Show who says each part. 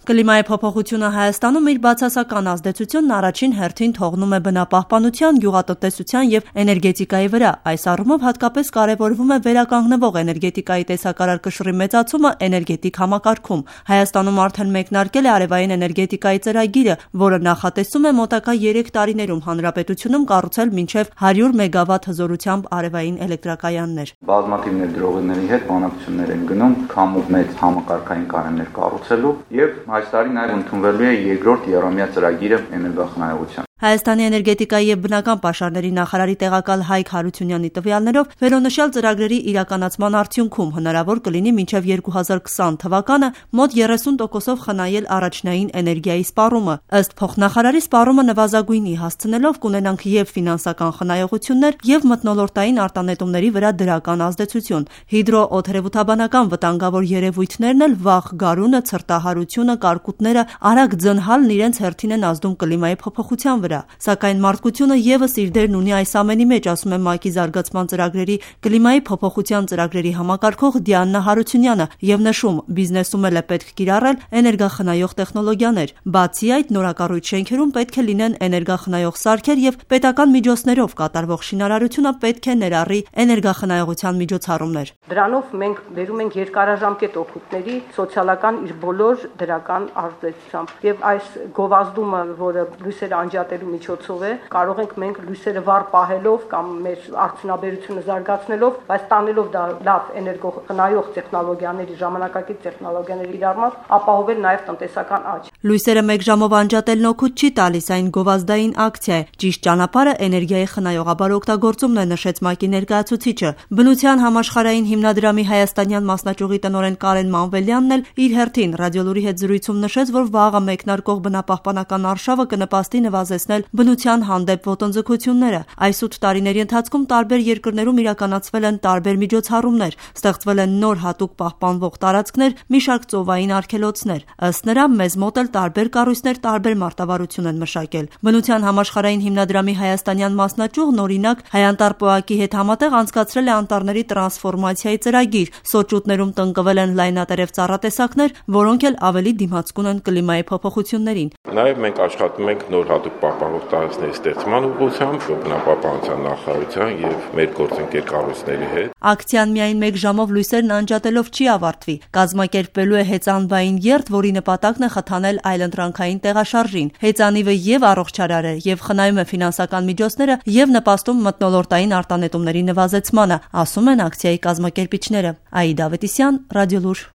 Speaker 1: Կլիմայի փոփոխությունը Հայաստանում իր բացասական ազդեցությունն առաջին հերթին թողնում է բնապահպանության, գյուղատնտեսության և էներգետիկայի վրա։ Այս առումով հատկապես կարևորվում է վերականգնվող էներգետիկայի տեսակարար կշռի մեծացումը էներգետիկ համակարգում։ Հայաստանում արդեն մեկնարկել է արևային էներգետիկայի ծրագիրը, որը նախատեսում է մոտակա 3 տարիներում հանրապետությունում կառուցել մինչև 100 մեգավատ հզորությամբ արևային էլեկտրակայաններ։
Speaker 2: Բազմաթիվ ներդրողների հետ բանակցություններ են գնում քամու մեծ համակարգային կանոններ կառուցելու և այս տարի նաև ընդունվելու է երկրորդ եռամյա ծրագիրը էներգախնայողության։
Speaker 1: Հայաստանի էներգետիկայի և բնական պաշարների նախարարի տեղակալ Հայկ Հարությունյանի տվյալներով վերոնշյալ ծրագրերի իրականացման արդյունքում հնարավոր կլինի մինչև 2020 թվականը մոտ 30%-ով խնայել առաջնային էներգիայի սպառումը։ Ըստ փոխնախարարի, սպառումը նվազագույնի հասցնելով կունենանք և ֆինանսական խնայողություններ, և մթնոլորտային արտանետումների վրա դրական ազդեցություն։ Հիդրոօդերևութաբանական վտանգավոր երևույթներն էլ վաղ գարունը, ցրտահարությունը, կարկուտները, արագ ձնհալն իրենց հերթին են ազդում կլիմայի փոփոխության վրա։ Սակայն մարդկությունը ևս իր դերն ունի այս ամենի մեջ, ասում է ՄԱԿ-ի զարգացման ծրագրերի կլիմայի փոփոխության ծրագրերի համակարգող Դիանա Հարությունյանը և նշում, բիզնեսում էլ է պետք կիրառել էներգախնայող տեխնոլոգիաներ։ Բացի այդ, նորակառույց շենքերում պետք է լինեն էներգախնայող սարքեր և պետական միջոցներով կատարվող շինարարությունը պետք է ներառի էներգախնայողության միջոցառումներ։
Speaker 3: Դրանով մենք բերում ենք երկարաժամկետ օգուտների սոցիալական իր բոլոր դրական ազդեցությամբ եւ այս գովազդումը, որը լույսերը անջատելու միջոցով է, կարող ենք մենք լույսերը վառ պահելով կամ մեր արդյունաբերությունը զարգացնելով, բայց տանելով դա լավ էներգոխնայող տեխնոլոգիաների, ժամանակակից տեխնոլոգիաների իրարմամբ, ապահովել նաեւ տնտեսական աճ։
Speaker 1: Լույսերը 1 ժամով անջատելն օգուտ չի տալիս, այն գովազդային ակցիա է։ Ճիշտ ճանապարհը էներգիայի խնայողաբար օգտագործումն է, նշեց ՄԱԿ-ի ներկայացուցիչը։ Բնության համաշխարհային հիմնադրամի հայաստանյան մասնաճյուղի տնօրեն Կարեն Մանվելյանն էլ իր հերթին Ռադիոլուրի հետ զրույցում նշեց, որ վաղը մեկնարկող բնապահպանական արշավը կնպաստի նվազեցնել բնության հանդեպ ոտնձգությունները։ Այս 8 տարիների ընթացքում տարբեր երկրներում իրականացվել են տարբեր միջոցառումներ, ստեղծվել են նոր հատուկ պահպանվող տարածքներ, մի շարք ծովային արգելոցներ։ Ըստ նրա, մեզ մոտ էլ տարբեր կառույցներ տարբեր մարտավարություն են մշակել։ Բնության համաշխարհային հիմնադրամի հայաստանյան մասնաճյուղն օրինակ Հայանտար ՊՕԱԿ-ի հետ համատեղ անցկացրել է անտառների տրանսֆորմացիայի ծրագիր։ Սոճուտներում տնկվել են լայնատերև ծառատեսակներ, որոնք էլ ավելի դիմացկուն են կլիմայի փոփոխություններին։
Speaker 4: Նաև մենք աշխատում ենք նոր հատուկ պահպանող տարածքների ստեղծման ուղղությամբ բնապահպանության նախարարության եւ մեր գործընկեր կառույցների հետ։
Speaker 1: Ակցիան միայն 1 ժամով լույսերն անջատելով չի ավարտվի։ Կազմակերպվելու է հեծանվային երթ, որի նպատակն է խթանել այլընտրանքային տեղաշարժին։ Հեծանիվը եւ առողջարար է, եւ խնայում է ֆինանսական միջոցները, եւ նպաստում մթնոլորտային արտանետումների նվազեցմանը, ասում են ակցիայի կազմակերպիչները։ Աիդա Ավետիսյան, Ռադիոլուր։